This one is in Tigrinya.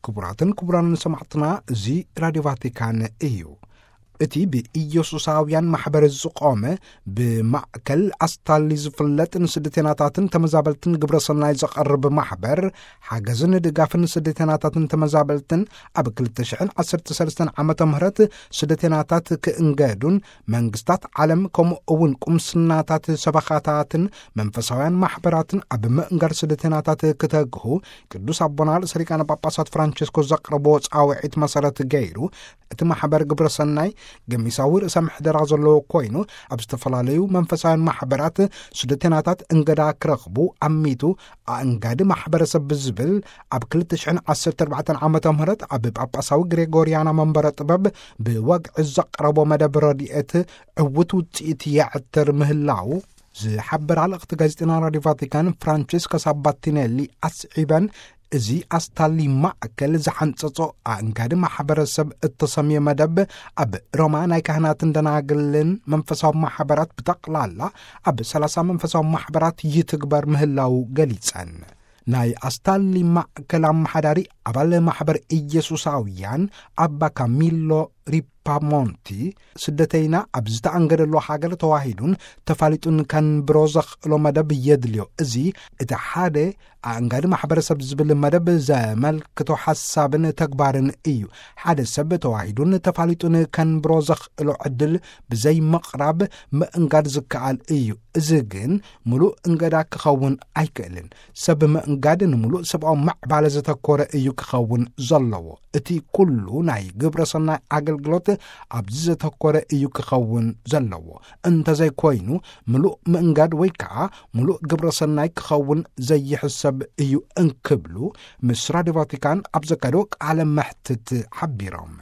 ክቡራትን ክቡራንን ሰማዕትና፣ እዚ ራድዮ ቫቲካን እዩ። እቲ ብኢየሱሳውያን ማሕበር ዝቖመ፣ ብማእከል ኣስታሊ ዝፍለጥ፣ ንስደተናታትን ተመዛበልትን ግብረ ሰናይ ዘቐርብ ማሕበር፣ ሓገዝን ድጋፍን ስደተናታትን ተመዛበልትን ኣብ ክልተ ሽሕን ዓሰርተ ሰለስተን ዓመተ ምህረት ስደተናታት ክእንገዱን መንግስታት ዓለም ከምኡ እውን ቁምስናታት ሰበኻታትን መንፈሳውያን ማሕበራትን ኣብ ምእንጋድ ስደተናታት ክተግሁ ቅዱስ ኣቦና ርእሰ ሊቃነ ጳጳሳት ፍራንቸስኮ ዘቕረቦ ጻውዒት መሰረት ገይሩ፣ እቲ ማሕበር ግብረ ሰናይ ገሚሳዊ ርእሰ ምሕደራ ዘለዎ ኮይኑ፣ ኣብ ዝተፈላለዩ መንፈሳውያን ማሕበራት ስደተናታት እንገዳ ክረኽቡ ኣሚቱ፣ ኣእንጋዲ ማሕበረሰብ ብዝብል ኣብ ክልተ ሽሕን ዓሰርተ ኣርባዕተን ዓመተ ምህረት ኣብ ጳጳሳዊ ግሬጎርያና መንበረ ጥበብ ብወግዒ ዘቕረቦ መደብ ረድኤት ዕዉት ውጽኢት የዕትር ምህላው ዝሓበራ ልእኽቲ ጋዜጠና ራድዮ ቫቲካን ፍራንቸስካ ሳባቲኔሊ ኣስዒበን፣ እዚ ኣስታሊ ማእከል ዝሓንጸጾ ኣእንጋዲ ማሕበረሰብ እተሰምየ መደብ ኣብ ሮማ ናይ ካህናትን ደናግልን መንፈሳዊ ማሕበራት ብጠቕላላ ኣብ ሰላሳ መንፈሳዊ ማሕበራት ይትግበር ምህላው ገሊጸን። ናይ ኣስታሊ ማእከል ኣመሓዳሪ ኣባል ማሕበር ኢየሱሳውያን ኣባ ካሚሎ ሪፓሞንቲ፣ ስደተይና ኣብ ዝተኣንገደሉ ሃገር ተዋሂዱን ተፋሊጡን ከንብሮ ዘኽእሎ መደብ የድልዮ። እዚ እቲ ሓደ ኣእንጋዲ ማሕበረሰብ ዝብል መደብ ዘመልክቶ ሓሳብን ተግባርን እዩ። ሓደ ሰብ ተዋሂዱን ተፋሊጡን ከንብሮ ዘኽእሎ ዕድል ብዘይ ምቕራብ ምእንጋድ ዝከኣል እዩ። እዚ ግን ምሉእ እንገዳ ክኸውን ኣይክእልን። ሰብ ምእንጋድ ንምሉእ ሰብኣዊ ምዕባለ ዘተኮረ እዩ ክኸውን ዘለዎ። እቲ ኩሉ ናይ ግብረ ሰናይ ኣገልግሎት ኣብዚ ዘተኮረ እዩ ክኸውን ዘለዎ። እንተዘይኮይኑ፣ ምሉእ ምእንጋድ ወይ ከዓ ምሉእ ግብረ ሰናይ ክኸውን ዘይሕሰብ እዩ እንክብሉ ምስ ራድዮ ቫቲካን ኣብ ዘካየድዎ ቃለ መሕትት ሓቢሮም።